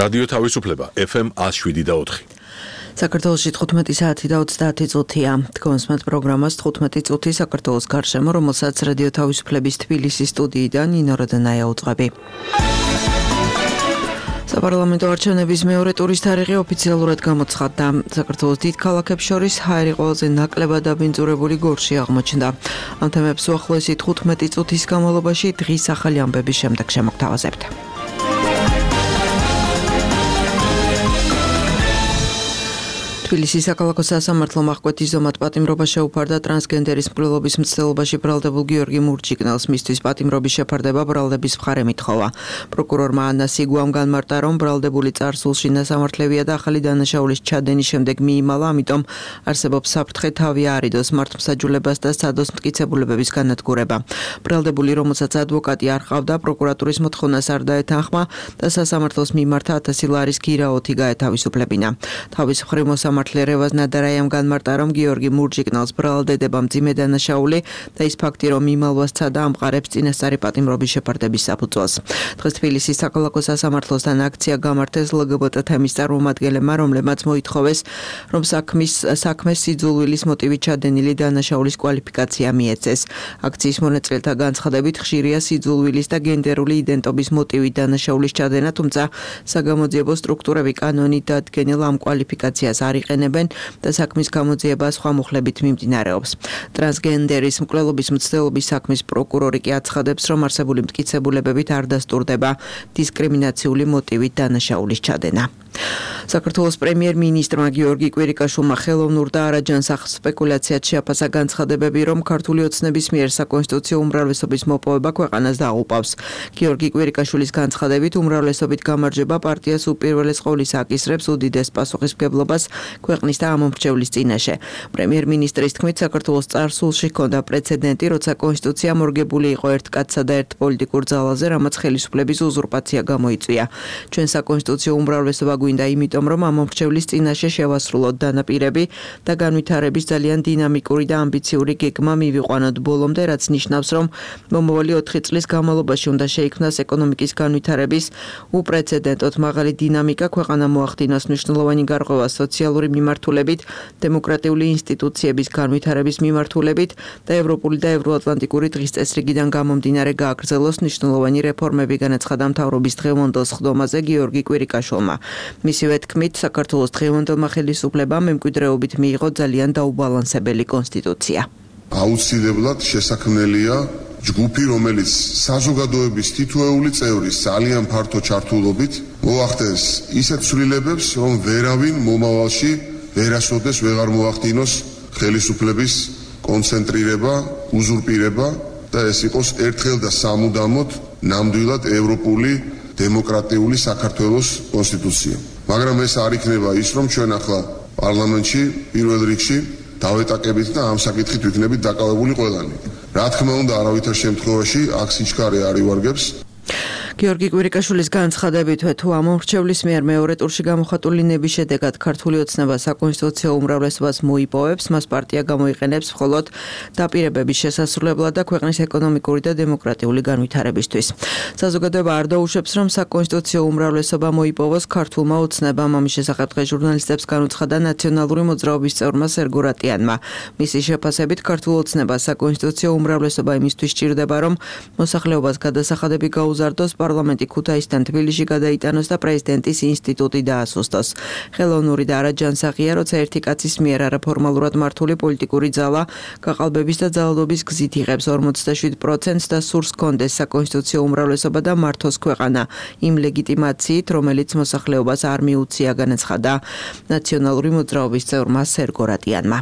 რადიო თავისუფლება FM 107.4. საქართველოში 15 საათი და 30 წუთია. თქვენს პროგრამას 15 წუთი საქართველოს გარშემო, რომელსაც რადიო თავისუფლების თბილისის სტუდიიდან ნინო როდანაია უძღვები. საპარლამენტო არჩევნების მეორე ტურის თარიღი ოფიციალურად გამოცხადდა. საქართველოს დიდ ქალაქებს შორის ჰაერი ყველაზე ნაკლებად დაბინძურებული გორში აღმოჩნდა. ამ თემებს უახლოესი 15 წუთის განმავლობაში დღის ახალი ამბების შემდეგ შემოგთავაზებთ. თბილისის საქალაქო სასამართლო აღკვეთის ზომად პატიმრობა შეუფარდა ტრანსგენდერის მკვლელობის მცდელობაში ბრალდებულ გიორგი მურჯიგნელს. მისთვის პატიმრობის შეფარდება ბრალდების მხარე მითხოვა. პროკურორმა ანა სიგუამ განმარტა, რომ ბრალდებული წარსულში ნასამართლევია და ახალი დანაშაულის ჩადენის შემდეგ მიიმალა, ამიტომ არსებობს საფრთხე თავი არიდოს მართლმსაჯულებას და სადოს მტკიცებულებების განადგურება. ბრალდებული, რომელსაც ადვოკატი არ ჰყავდა, პროკურატურის მოთხოვნას არ დაეთანხმა და სასამართლოს მიმართა 1000 ლარის გირაოთი გაეთავისუფლებინა. თავის მხრივ მართლერევას ნადარაიამ განმარტა, რომ გიორგი მურჯიგნელს ბრალდება მძიმე დანაშაული და ის ფაქტი, რომ იმალვას ცადა ამყარებს წინასწარი პატიმრობის შეფარდების საფუძველს. დღეს თბილისის საქალაქო სასამართლოსთან აქცია გამართეს LGBT თემის წარმომადგენლებმა, რომლებმაც მოითხოვეს, რომ საქმეს სიძულვილის მოტივით ჩადენილი დანაშაულის კვალიფიკაცია მიეცეს. აქციის მონაწილეთა განცხადებით, ხშირია სიძულვილის და გენდერული იდენტობის მოტივით დანაშაულის ჩადენა, თუმცა საგამოძიებო სტრუქტურები კანონით დადგენილ ამ კვალიფიკაციას არ იყენებენ და საქმის გამოძიება სხვა მუხლებით მიმდინარეობს. ტრანსგენდერის მკვლელობის მცდელობის საქმის პროკურორი კი აცხადებს, რომ არსებული მტკიცებულებებით არ დასტურდება დისკრიმინაციული მოტივით დანაშაულის ჩადენა. საქართველოს პრემიერ-მინისტრმა გიორგი კვირიკაშვილმა ხელოვნურ და არაჯანსაღ სპეკულაციად შეაფასა განცხადებები, რომ ქართული ოცნების მიერ საკონსტიტუციო უმრავლესობის მოპოვება ქვეყანას დაუყავს. გიორგი კვირიკაშვილის განცხადებით, უმრავლესობით გამარჯვება პარტიას უპირველეს ყოვლისა აკისრებს უდიდეს პასუხისმგებლობას ქვეყნის და ამომრჩევლის წინაშე. პრემიერ-მინისტრის თქმით, საქართველოს წარსულში ჰქონდა პრეცედენტი, როცა კონსტიტუცია მორგებული იყო ერთ კაცსა და ერთ პოლიტიკურ ძალაზე, რამაც ხელისუფლების უზურპაცია გამოიწვია. ჩვენ საკონსტიტუციო უმრავლესობა გვინდა იმიტომ, რომ ამომრჩევლის წინაშე შევასრულოთ დანაპირები და განვითარების ძალიან დინამიკური და ამბიციური გეგმა მივიყვანოთ ბოლომდე, რაც ნიშნავს, რომ მომავალი 4 წლის განმავლობაში უნდა შეიქმნას ეკონომიკის განვითარების უპრეცედენტოდ მაღალი დინამიკა, ქვეყანა მოახდინოს მნიშვნელოვანი გარღვევა სოციალური მიმართულებით, დემოკრატიული ინსტიტუციების განვითარების მიმართულებით და ევროპული და ევროატლანტიკური დღის წესრიგიდან გამომდინარე გააგრძელოს მნიშვნელოვანი რეფორმები, განაცხადა მთავრობის დღევანდელ სხდომაზე გიორგი კვირიკაშვილმა. მისივე თქმით, საქართველოს დღევანდელმა ხელისუფლებამ მემკვიდრეობით მიიღო ძალიან დაუბალანსებელი კონსტიტუცია. აუცილებლად შესაქმნელია ჯგუფი, რომელიც საზოგადოების თითოეული წევრის ძალიან ფართო ჩართულობით მოახდენს ისეთ ცვლილებებს, რომ ვერავინ მომავალში ვერასოდეს ვეღარ მოახდინოს ხელისუფლების კონცენტრირება, უზურპირება და ეს იყოს ერთხელ და სამუდამოდ ნამდვილად ევროპული დემოკრატიული საქართველოს კონსტიტუცია. მაგრამ ეს არ იქნება ის, რომ ჩვენ ახლა პარლამენტში პირველ რიგში დავეტაკებით და ამ საკითხით ვიქნებით დაკავებული ყველანი. რა თქმა უნდა, არავითარ შემთხვევაში აქ სიჩქარე არ ივარგებს. გიორგი კვირიკაშვილის განცხადებით, თუ ამომრჩევლის მიერ მეორე ტურში გამოხატული ნების შედეგად ქართული ოცნება საკონსტიტუციო უმრავლესობას მოიპოვებს, მას პარტია გამოიყენებს მხოლოდ დაპირებების შესასრულებლად და ქვეყნის ეკონომიკური და დემოკრატიული განვითარებისთვის. საზოგადოება არ დაუშვებს, რომ საკონსტიტუციო უმრავლესობა მოიპოვოს ქართულმა ოცნებამ. ამის შესახებ დღეს ჟურნალისტებს განუცხადა ნაციონალური მოძრაობის წევრმა სერგო რატიანმა. მისი შეფასებით, ქართულ ოცნებას საკონსტიტუციო უმრავლესობა იმისთვის სჭირდება, რომ მოსახლეობას გადასახადები გაუზარდოს, პარლამენტი ქუთაისთან თბილისში გადაიტანოს და პრეზიდენტის ინსტიტუტი დაასუსტოს. ხელოვნური და არაჯანსაღია, როცა ერთი კაცის მიერ არაფორმალურად მართული პოლიტიკური ძალა გაყალბების და ძალადობის გზით იღებს 47% და სურს კონდეს საკონსტიტუციო უმრავლესობა და მართოს ქვეყანა იმ ლეგიტიმაციით, რომელიც მოსახლეობას არ მიუცია, განაცხადა ნაციონალური მოძრაობის წევრმა სერგო რატიანმა.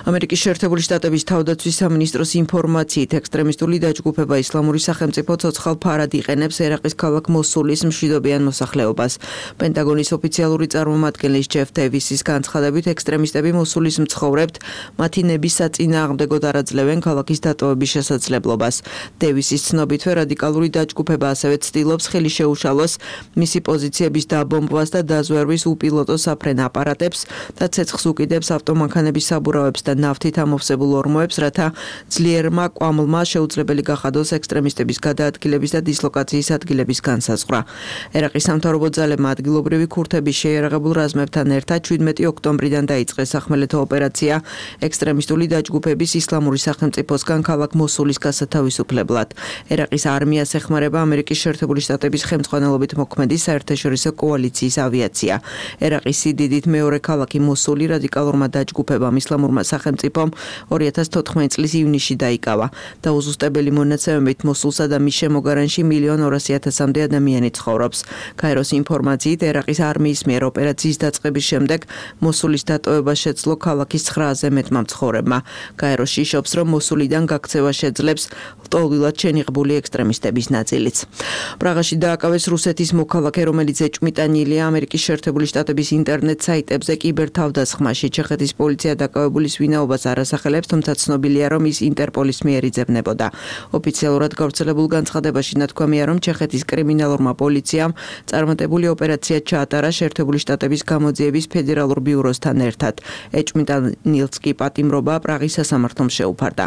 ამერიკის შეერთებული შტატების თავდაცვის სამინისტროს ინფორმაციით, ექსტრემისტული დაჯგუფება ისლამური სახელმწიფო ცოცხალ ფარად იყენებს ერაყის ქალაქ მოსულის მშვიდობიან მოსახლეობას. პენტაგონის ოფიციალური წარმომადგენლის ჯეფ დევისის განცხადებით, ექსტრემისტები მოსულის მცხოვრებთ მათი ნების საწინააღმდეგოდ არაძლევენ ქალაქის დატოვების შესაძლებლობას. დევისის ცნობითვე რადიკალური დაჯგუფება ასევე ცდილობს ხელი შეუშალოს მისი პოზიციების დაბომბვას და დაზვერვის უპილოტო საფრენ აპარატებს და ცეცხლს უკიდებს ავტომანქანების საბურავებს და ნავთით ამოვსებულ ორმოებს, რათა ძლიერმა კვამლმა შეუძლებელი გახადოს ექსტრემისტების გადაადგილების და დისლოკაციის ადგილების განსაზღვრა. ერაყის სამთავრობო ძალებმა ადგილობრივი ქურთების შეიარაღებულ რაზმებთან ერთად 17 ოქტომბრიდან დაიწყეს სახმელეთო ოპერაცია ექსტრემისტული დაჯგუფების ისლამური სახელმწიფოსგან ქალაქ მოსულის გასათავისუფლებლად. ერაყის არმიას ეხმარება ამერიკის შეერთებული შტატების ხელმძღვანელობით მოქმედი საერთაშორისო კოალიციის ავიაცია. ერაყის სიდიდით მეორე ქალაქი მოსული რადიკალურმა დაჯგუფებამ ისლამურმა სახელმწიფომ 2014 წლის ივნისში დაიკავა. დაუზუსტებელი მონაცემებით მოსულსა და მის შემოგარენში 1,200,000-მდე ადამიანი ცხოვრობს. გაეროს ინფორმაციით ერაყის არმიის მიერ ოპერაციის დაწყების შემდეგ მოსულის დატოვება შეძლო ქალაქის 900-ზე მეტმა მცხოვრებმა. გაერო შიშობს, რომ მოსულიდან გაქცევა შეძლებს ლტოლვილად შენიღბული ექსტრემისტების ნაწილიც. პრაღაში დააკავეს რუსეთის მოქალაქე, რომელიც ეჭვმიტანილია ამერიკის შეერთებული შტატების ინტერნეტ საიტებზე კიბერთავდასხმაში. ჩეხეთის პოლიცია დაკავებულის ვინაობას არ ასახელებს, თუმცა ცნობილია, რომ ის ინტერპოლის მიერ იძებნებოდა. ოფიციალურად გავრცელებულ განცხადებაში ნათქვამია, რომ ჩეხეთის კრიმინალურმა პოლიციამ წარმატებული ოპერაცია ჩაატარა შეერთებული შტატების გამოძიების ფედერალურ ბიუროსთან ერთად. ეჭვმიტანილს კი პატიმრობა პრაღის სასამართლომ შეუფარდა.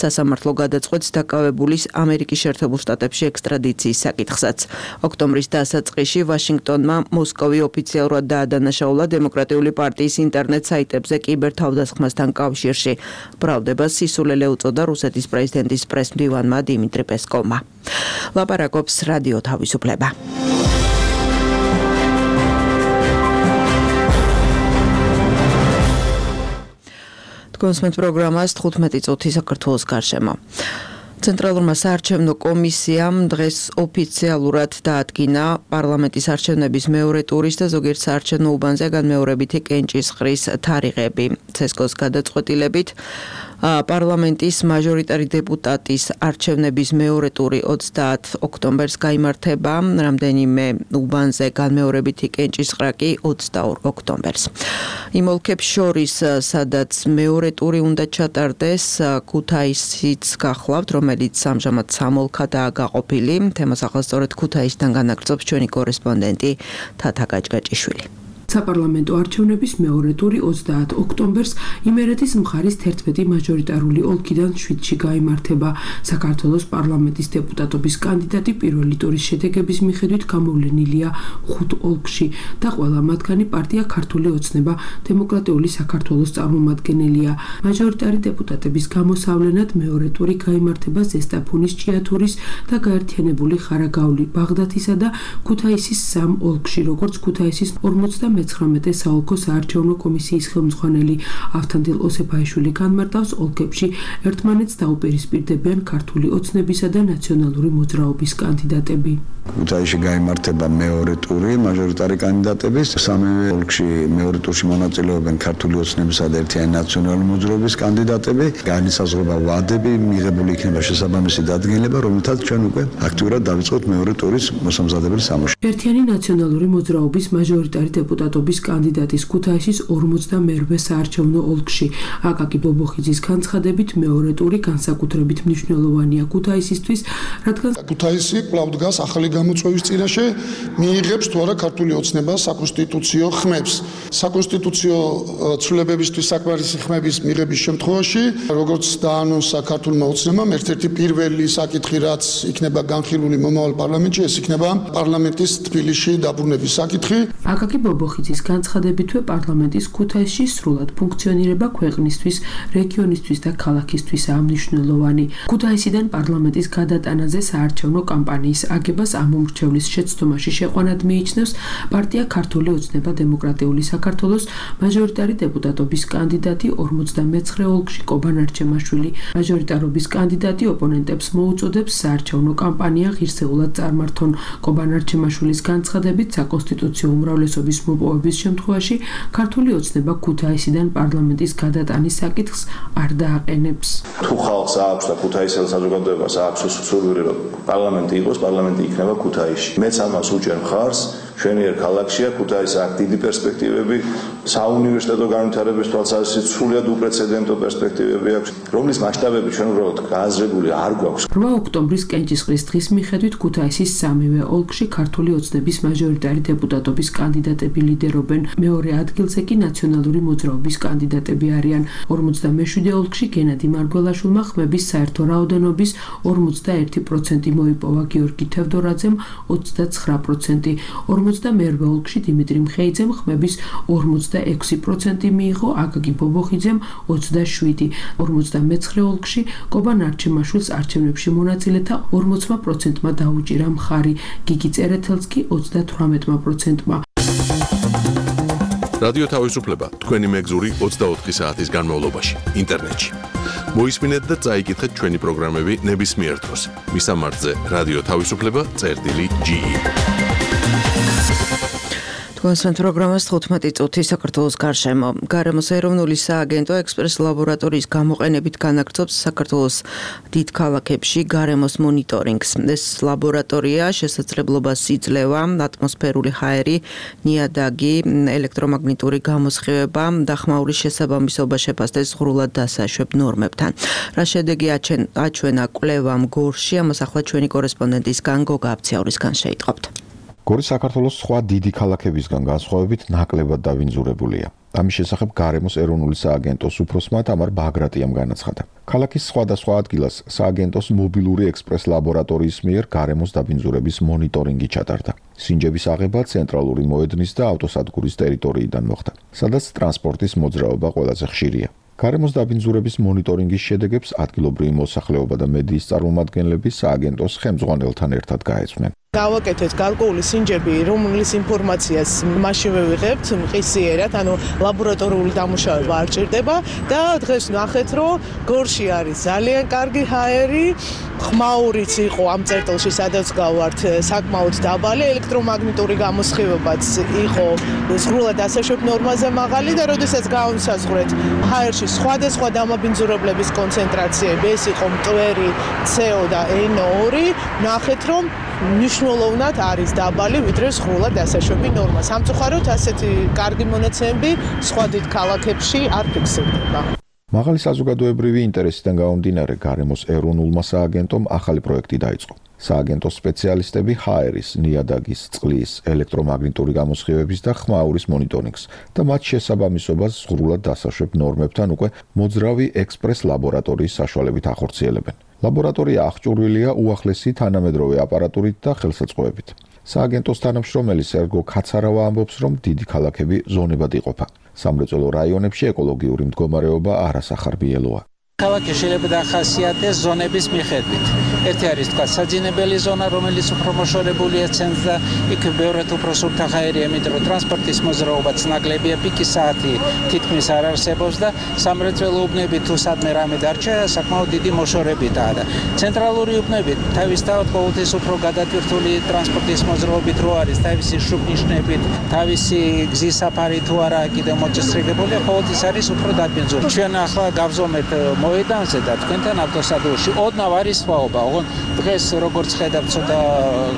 სასამართლო გადაწყვეტს დაკავებულის ამერიკის შეერთებულ შტატებში ექსტრადიციის საკითხსაც. ოქტომბრის დასაწყისში ვაშინგტონმა მოსკოვი ოფიციალურად დაადანაშაულა დემოკრატიული პარტიის ინტერნეტ საიტებზე კიბერთავდასხმასთან კავშირში. ბრალდებას სისულელე უწოდა რუსეთის პრეზიდენტის პრესმდივანმა დიმიტრი პესკოვმა. ლაპარაკობს რადიო თავისუფლება. კონსმეთ პროგრამას 15 წუთი საქართველოს გარშემო. ცენტრალურმა საარჩევნო კომისიამ დღეს ოფიციალურად დაადგინა პარლამენტის არჩევნების მეორე ტურის და ზოგიერთ საარჩევნო უბანზე განმეორებითი კენჭისყრის თარიღები. ცესკოს გადაწყვეტილებით პარლამენტის მაჟორიტარი დეპუტატის არჩევნების მეორე ტური 30 ოქტომბერს გაიმართება, რამდენიმე უბანზე განმეორებითი კენჭისყრა კი 22 ოქტომბერს. იმ ოლქებს შორის, სადაც მეორე ტური უნდა ჩატარდეს, ქუთაისიც გახლავთ, რომელიც ამჟამად 3 ოლქადაა გაყოფილი. თემას ახალსწორედ ქუთაისიდან განაგრძობს ჩვენი კორესპონდენტი თათა გაჭგაჭიშვილი. საპარლამენტო არჩევნების მეორე ტური 30 ოქტომბერს იმერეთის მხარის 11 მაჟორიტარული ოლქიდან 7-ში გაიმართება. საქართველოს პარლამენტის დეპუტატობის კანდიდატი პირველი ტურის შედეგების მიხედვით გამოვლენილია 5 ოლქში და ყველა მათგანი პარტია ქართული ოცნება დემოკრატიული საქართველოს წარმომადგენელია. მაჟორიტარი დეპუტატების გამოსავლენად მეორე ტური გაიმართება ზესტაფონის, ჭიათურის და გაერთიანებული ხარაგაული, ბაღდათისა და ქუთაისის 3 ოლქში, როგორც ქუთაისის 49 საოლქო საარჩევნო კომისიის ხელმძღვანელი ავთანდილ ოსეფაიშვილი განმარტავს, ოლქებში ერთმანეთს დაუპირისპირდებიან ქართული ოცნებისა და ნაციონალური მოძრაობის კანდიდატები. ქუთაისში გაიმართება მეორე ტური მაჟორიტარი კანდიდატების, სამივე ოლქში მეორე ტურში მონაწილეობენ ქართული ოცნებისა და ერთიანი ნაციონალური მოძრაობის კანდიდატები. განისაზღვრება ვადები, მიღებული იქნება შესაბამისი დადგენილება, რომელთაც ჩვენ უკვე აქტიურად დავიწყოთ მეორე ტურის მოსამზადებელი სამუშაო. ერთიანი ნაციონალური მოძრაობის მაჟორიტარი დეპუტატობის კანდიდატის ქუთაისის 42 საარჩევნო ოლქში აკაკი ბობოხიძის განცხადებით მეორე ტური განსაკუთრებით მნიშვნელოვანია ქუთაისისთვის, რადგან ქუთაისი კვლავ დგას ახალი გამოწვევის წინაშე, მიიღებს თუ არა ქართული ოცნება საკონსტიტუციო ხმებს. საკონსტიტუციო ცვლილებებისთვის საკმარისი ხმების მიღების შემთხვევაში, როგორც დაანონსა ქართულმა ოცნებამ, ერთ-ერთი პირველი საკითხი, რაც იქნება განხილული მომავალ პარლამენტში, ეს იქნება პარლამენტის თბილისში დაბრუნების საკითხი. აკაკი ბობოხიძის განცხადებითვე პარლამენტის ქუთაისში სრულად ფუნქციონირება ქვეყნისთვის, რეგიონისთვის და ქალაქისთვისაა მნიშვნელოვანი. ქუთაისიდან პარლამენტის გადატანაზე საარჩევნო კამპანიის აგებას ამომრჩევლის შეცდომაში შეყვანად მიიჩნევს პარტია ქართული ოცნება დემოკრატიული საქართველოს მაჟორიტარი დეპუტატობის კანდიდატი 49 ოლქში კობან არჩემაშვილი. მაჟორიტარობის კანდიდატი ოპონენტებს მოუწოდებს საარჩევნო კამპანია ღირსეულად წარმართონ. კობან არჩემაშვილის განცხადებით საკონსტიტუციო უმრავლესობის მოპოვების შემთხვევაში ქართული ოცნება ქუთაისიდან პარლამენტის გადატანის საკითხს არ დააყენებს. თუ ხალხს აქვს და ქუთაისელ საზოგადოებას აქვს სურვილი, რომ პარლამენტი იყოს, პარლამენტი იქნება ქუთაისში. მეც ამას უჭერ მხარს, ჩვენი ერთ ქალაქშია, ქუთაისს აქვს დიდი პერსპექტივები, საუნივერსიტეტო განვითარების თვალსაზრისით სრულიად უპრეცედენტო პერსპექტივები აქვს, რომლის მასშტაბები ჩვენ უბრალოდ გააზრებული არ გვაქვს. 8 ოქტომბრის კენჭისყრის დღის მიხედვით ქუთაისის სამივე ოლქში ქართული ოცნების მაჟორიტარი დეპუტატობის კანდიდატები ლიდერობენ. მეორე ადგილზე კი ნაციონალური მოძრაობის კანდიდატები არიან. 57 ოლქში გენადი მარგველაშვილმა ხმების საერთო რაოდენობის 41% მოიპოვა, გიორგი თევდორაძემ 29%. 52 ოლქში დიმიტრი მხეიძემ ხმების 46% მიიღო, აკაკი ბობოხიძემ 27. 59 ოლქში კობა ნარჩემაშვილს არჩევნებში მონაწილეთა 40%-მა დაუჭირა მხარი, გიგი წერეთელს კი 38%-მა. რადიო თავისუფლება თქვენი მეგზური 24 საათის განმავლობაში ინტერნეტში. მოისმინეთ და წაიკითხეთ ჩვენი პროგრამები ნებისმიერ დროს. მისამართზე რადიო თავისუფლება.ge კონსენტ პროგრამას 15 წუთი საქართველოს გარშემო. გარემოს ეროვნული სააგენტო ექსპრეს ლაბორატორიის გამოყენებით განაგრძობს საქართველოს დიდ ქალაქებში გარემოს მონიტორინგს. ეს ლაბორატორია შესაძლებლობას იძლევა ატმოსფერული ჰაერი, ნიადაგი, ელექტრომაგნიტური გამოსხივება და ხმაურის შესაბამისობა შეფასდეს ღრულად დასაშვებ ნორმებთან. რა შედეგი აჩვენა კვლევამ გორში, ამას ახლა ჩვენი კორესპონდენტისგან გოგა აბციაურისგან შეიტყობთ. გორი საქართველოს სხვა დიდი ქალაქებისგან განსხვავებით ნაკლებად დავინძურებულია. ამის შესახებ გარემოს ეროვნული სააგენტოს უფროსმა თამარ ბაგრატიამ განაცხადა. ქალაქის სხვადასხვა ადგილას სააგენტოს მობილური ექსპრეს ლაბორატორიის მიერ გარემოს დაბინძურების მონიტორინგი ჩატარდა. სინჯების აღება ცენტრალური მოედნის და ავტოსადგურის ტერიტორიიდან მოხდა, სადაც ტრანსპორტის მოძრაობა ყველაზე ხშირია. გარემოს დაბინძურების მონიტორინგის შედეგებს ადგილობრივი მოსახლეობა და მედიის წარმომადგენლები სააგენტოს ხელმძღვანელთან ერთად გაეცნენ. გავაკეთეთ გარკვეული სინჯები, რომლის ინფორმაციას მაშინ ვიღებთ მყისიერად, ანუ ლაბორატორიული დამუშავება არ ჭირდება და დღეს ნახეთ, რომ გორში არის ძალიან კარგი ჰაერი, ხმაურიც იყო ამ წერტილში, სადაც გავართ, საკმაოდ დაბალი, ელექტრომაგნიტური გამოსხივებაც იყო ზღვრულად დასაშვებ ნორმაზე მაღალი და როდესაც გავსაზღვრეთ ჰაერში სხვადასხვა დამაბინძურებლების კონცენტრაციები, ეს იყო მტვერი, CO და NO2, ნახეთ, რომ მნიშვნელოვნად არის დაბალი, ვიდრე ზღვრულად დასაშვები ნორმა. სამწუხაროდ ასეთი კარგი მონაცემები სხვა დიდ ქალაქებში არ ფიქსირდება. მაღალი საზოგადოებრივი ინტერესიდან გამომდინარე, გარემოს ეროვნულმა სააგენტომ ახალი პროექტი დაიწყო. სააგენტოს სპეციალისტები ჰაერის, ნიადაგის, წყლის, ელექტრომაგნიტური გამოსხივების და ხმაურის მონიტორინგს და მათ შესაბამისობას ზღვრულად დასაშვებ ნორმებთან უკვე მოძრავი ექსპრეს ლაბორატორიის საშუალებით ახორციელებენ. ლაბორატორია აღჭურვილია უახლესი თანამედროვე აპარატურით და ხელსაწყოებით. სააგენტოს თანამშრომელი სერგო ქაცარავა ამბობს, რომ დიდი ქალაქები ზონებად იყოფა. სამრეწველო რაიონებში ეკოლოგიური მდგომარეობა არასახარბიელოა. ქალაქი შეიძლება დახასიათდეს ზონების მიხედვით. ერთი არის თქვა საძინებელი ზონა, რომელიც უფრო მოშორებულია ცენტრს და იქ ბევრად უფრო სუფთა ჰაერია, იმიტომ რომ ტრანსპორტის მოძრაობაც ნაკლებია, პიკის საათი თითქმის არ არსებობს და სამრეწველო უბნები თუ სადმე რამე დარჩა, საკმაოდ დიდი მოშორებითაა და ცენტრალური უბნები თავისთავად ყოველთვის უფრო გადატვირთული ტრანსპორტის მოძრაობით რო არის, თავისი შუბნიშნებით, თავისი გზის საფარი თუ არა კიდევ მოწესრიგებული, ყოველთვის არის უფრო დაბინძურებული. ჩვენ ახლა გავზომეთ მოედანზე და თქვენთან ავტოსადგურში ოდნავ არის სხვაობა. დღეს როგორც ხედავთ, ცოტა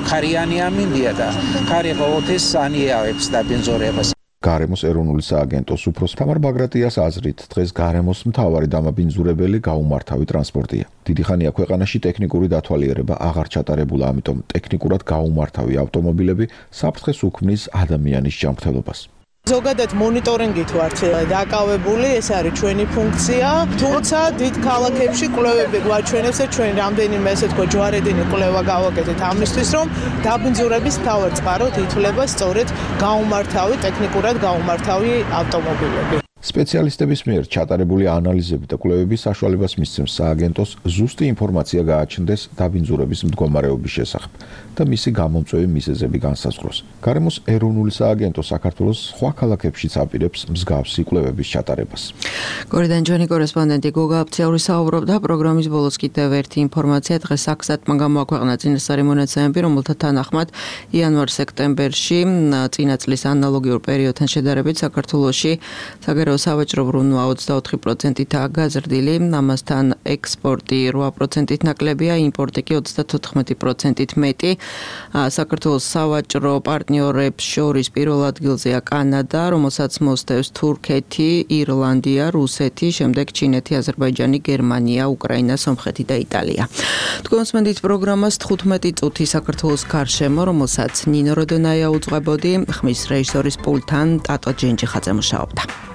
ხარიანი ამინდია და ხარი ყოველთვის ანიავებს დაბინძურებას. გარემოს ეროვნული სააგენტოს უფროს თამარ ბაგრატიას აზრით, დღეს გარემოს მთავარი დამაბინძურებელი გაუმართავი ტრანსპორტია. დიდი ხანია ქვეყანაში ტექნიკური დათვალიერება აღარ ჩატარებულა, ამიტომ ტექნიკურად გაუმართავი ავტომობილები საფრთხეს უქმნის ადამიანის ჯანმრთელობას. ზოგადად მონიტორინგით ვართ დაკავებული, ეს არის ჩვენი ფუნქცია, თუმცა დიდ ქალაქებში კვლევები გვაჩვენებს და ჩვენ რამდენიმე ესე თქვა ჯვარედინი კვლევა გავაკეთეთ ამისთვის, რომ დაბინძურების მთავარ წყაროდ ითვლება სწორედ გაუმართავი, ტექნიკურად გაუმართავი ავტომობილები. სპეციალისტების მიერ ჩატარებული ანალიზები და კვლევები საშუალებას მისცემს სააგენტოს ზუსტი ინფორმაცია გააჩნდეს დაბინძურების მდგომარეობის შესახებ და მისი გამომწვევი მიზეზები განსაზღვროს. გარემოს ეროვნული სააგენტო საქართველოს სხვა ქალაქებშიც აპირებს მსგავსი კვლევების ჩატარებას. გორიდან ჩვენი კორესპონდენტი გოგა აბციაური საუბრობდა. პროგრამის ბოლოს კიდევ ერთი ინფორმაცია. დღეს საქსატმა გამოაქვეყნა წინასწარი მონაცემები, რომელთა თანახმად იანვარ-სექტემბერში წინა წლის ანალოგიურ პერიოდთან შედარებით საქართველოში საგარეო რომ სავაჭრო ბრუნვა 24%-აა გაზრდილი, ამასთან ექსპორტი 8%-ით ნაკლებია, იმპორტი კი 34%-ით მეტი. საქართველოს სავაჭრო პარტნიორებს შორის პირველ ადგილზეა კანადა, რომელსაც მოსდევს თურქეთი, ირლანდია, რუსეთი, შემდეგ ჩინეთი, აზერბაიჯანი, გერმანია, უკრაინა, სომხეთი და იტალია. თქვენს მენდით პროგრამას 15 წუთი საქართველოს გარშემო, რომელსაც ნინო როდონაია უძღვებოდი, ხმის რეჟისორის პულტთან ტატო ჯენჯიხაძე მუშაობდა.